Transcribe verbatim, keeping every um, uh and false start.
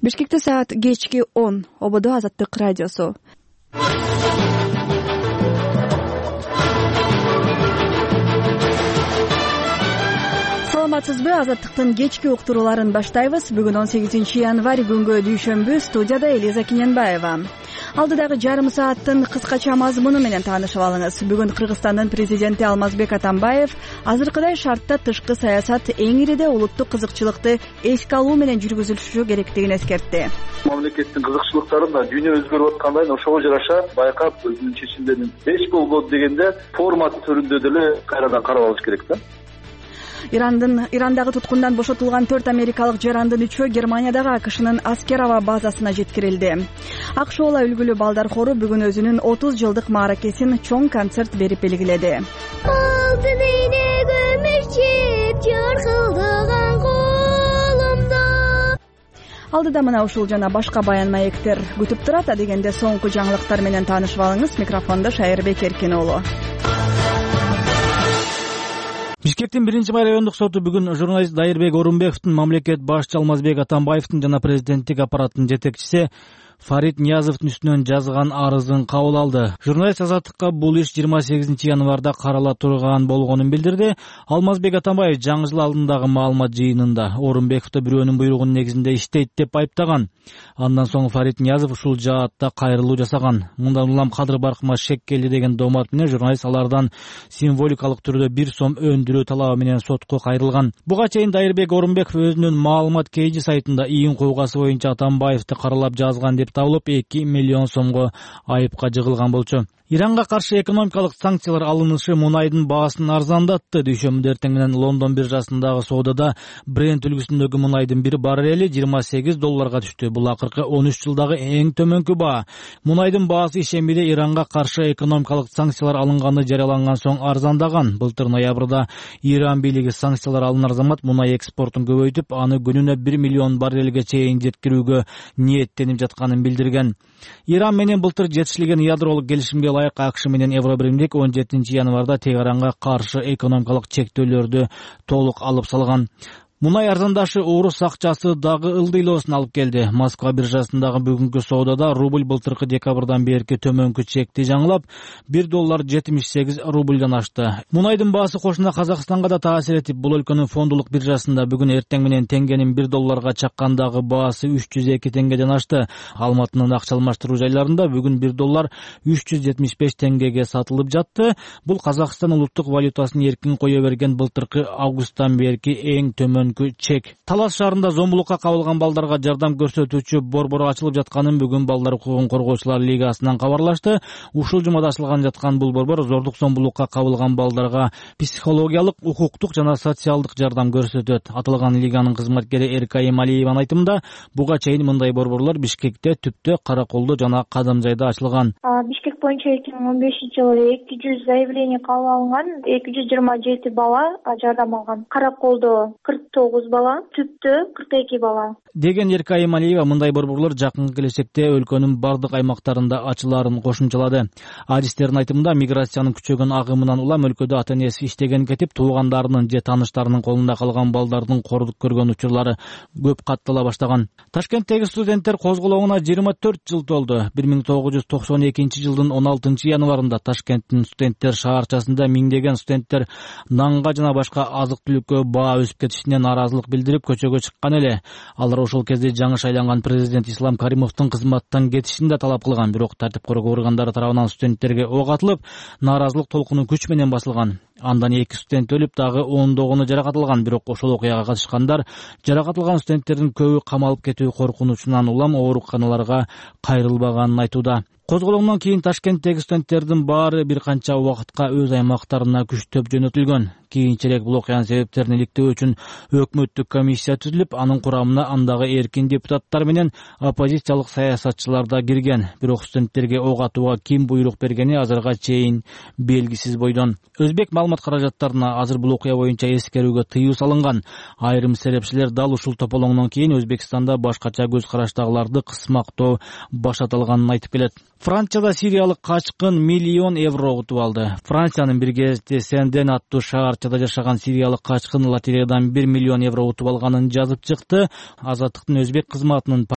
Бишкекте саат кечки он. Ободо Азаттык радиосу. Саламатсызбы? Азаттыктын кечки уктурууларын баштайбыз. Бүгүн он сегизинчи январь күнгө дүйшөмбү. Студияда Элиза Киненбаева. Алдыдагы жарым сааттын кыскача мазмуну менен таанышып алыңыз. Бүгүн Кыргызстандын президенти Алмазбек Атамбаев азыркыдай шартта тышкы саясат эң ириде улуттук кызыкчылыкты эске алуу менен жүргүзүлүшү керектигин эскертти. Мамлекеттин кызыкчылыктарын да дүйнө өзгөрүп аткандай ошого жараша байкап өзүнүн чечимдерин эч болбоду дегенде формат түрүндө деле кайрадан карап алыш керек да. Ирандын Ирандагы туткундан бошотулган төрт америкалык жарандын үчөө Германиядагы АКШнын аскер аба базасына жеткирилди. АКШ үлгүлүү балдар хору бүгүн өзүнүн отуз жылдык мааракесин чоң концерт берип белгиледи. Алдыда мына ушул жана башка баян маектер күтүп турат. Адегенде соңку жаңылыктар менен таанышып алыңыз. Микрофондо Шайырбек Эркиноğlu. Бишкектин биринчи май райондук соту бүгүн журналист Дайырбек Орунбековдун, мамлекет башчы Алмазбек Атамбаевдин жана президенттик аппараттын жетекчиси Фарид Ниязовдун үстүнөн жазган арызын кабыл алды. Журналист Азаттыкка бул иш жыйырма сегизинчи январда карала турган болгонун билдирди. Алмазбек Атамбаев жаңы жыл алдындагы маалымат жыйынында Орунбековду бирөөнүн буйругунун негизинде иштейт деп айыптаган. Андан соң Фарид Ниязов ушул жаатта кайрылуу жасаган. Мындан улам кадыр баркыма шек келди деген доомат менен журналист алардан символикалык түрдө бир сом өндүрүү талабы менен сотко кайрылган. Буга чейин Дайырбек Орунбеков өзүнүн маалымат кейжи сайтында иин куугасы боюнча Атамбаевди каралап жазган деп табылып эки миллион сомго айыпка жыгылган болчу. Иранга каршы экономикалык санкциялар алынышы мунайдын баасын арзандатты. Дүйшөмбүдө эртең менен Лондон биржасындагы соодада Brent үлгүсүндөгү мунайдын бир баррели жыйырма сегиз долларга түштү. Бул акыркы он үч жылдагы эң төмөнкү баа. Мунайдын баасы ишембиде Иранга каршы экономикалык санкциялар алынганы жарыяланган соң арзандаган. Былтыр ноябрда Иран бийлиги санкциялар алынар замат мунай экспортун көбөйтүп, аны күнүнө бир миллион баррелге чейин жеткирүүгө ниеттенип жатканын билдирген. Иран менен былтыр жетишилген ядролук келишимге ылайык АКШ менен Евробиримдик он жетинчи январда Тегаранга каршы экономикалык чектөөлөрдү толук алып салган. Мунай арзандашы орус акчасы дагы ылдыйлоосун алып келди. Москва биржасындагы бүгүнкү соодада рубль былтыркы декабрдан берки төмөнкү чекти жаңылап бир доллар жетимиш сегиз рубльдан ашты. Мунайдын баасы кошуна Казакстанга да таасир этип, бул өлкөнүн фондулук биржасында бүгүн эртең менен теңгенин бир долларга чаккандагы баасы үч жүз эки теңгеден ашты. Алматынын акча алмаштыруу жайларында бүгүн бир доллар үч жүз жетимиш беш теңгеге сатылып жатты. Бул Казакстан улуттук валютасын эркин кое берген былтыркы августтан берки эң төмөн чек. Талас шаарында зомбулукка кабылган балдарга жардам көрсөтүүчү борбор ачылып жатканын бүгүн Балдар укугун коргоочулар лигасынан кабарлашты. Ушул жумада ачылган жаткан бул борбор зордук зомбулукка кабылган балдарга психологиялык, укуктук жана социалдык жардам көрсөтөт. Аталган лиганын кызматкери Эркай Эмалиеванын айтымында, буга чейин мындай борборлор Бишкекте, Түптө, Караколдо жана Кадамжайда ачылган. Бишкек боюнча эки миң он бешинчи жылы эки жүз заявление кабыл алынган, эки жүз жыйырма жети бала жардам алган. Караколдо кырк тогуз бала, Түптө кырк эки бала. Деген Эркай Эмалиева мындай борборлор жакын келечекте өлкөнүн бардык аймактарында ачылаарын кошумчалады. Адистердин айтымында, миграциянын күчөгөн агымынан улам өлкөдө ата-энеси иштеген кетип, туугандарынын же тааныштарынын колунда калган балдардын кордук көргөн учурлары көп каттала баштаган. Ташкенттеги студенттер козголоңуна жыйырма төрт жыл толду. бир миң тогуз жүз токсон экинчи жылдын он алтынчы январында Ташкенттин студенттер шаарчасында миңдеген студенттер нанга жана башка азык-түлүккө баа өсүп кетишине нааразылык билдирип көчөгө чыккан эле. Алар ошол кезде жаңы шайланган президент Ислам Каримовдун кызматтан кетишин да талап кылган. Бирок тартип коргоо органдары тарабынан студенттерге ок атылып, нааразылык толкуну күч менен басылган. Андан эки студент өлүп, дагы ондогуну жаракат алган. Бирок ошол окуяга катышкандар жаракат алган студенттердин көбү камалып кетүү коркунучунан улам ооруканаларга кайрылбаганын айтууда. Козголоңдон кийин Ташкенттеги студенттердин баары бир канча убакытка өз аймактарына күчтөп жөнөтүлгөн. Кийинчерээк бул окуянын себептерин иликтөө үчүн өкмөттүк комиссия түзүлүп, анын курамына андагы эркин депутаттар менен оппозициялык саясатчылар да кирген. Бирок студенттерге ок атууга ким буйрук бергени азырга чейин белгисиз бойдон. Өзбек маалымат каражаттарына азыр бул окуя боюнча эскерүүгө тыюу салынган. Айрым серепчилер дал ушул тополоңдон кийин Өзбекстанда башкача көз караштагыларды кысмактоо башталганын айтып келет. Францияда сириялык качкын миллион евро утуп алды. Франциянын бир кезде Сенден аттуу шаарчада жашаган сириялык качкын лотереядан бир миллион евро утуп алганын жазып чыкты. Азаттыктын өзбек кызматынын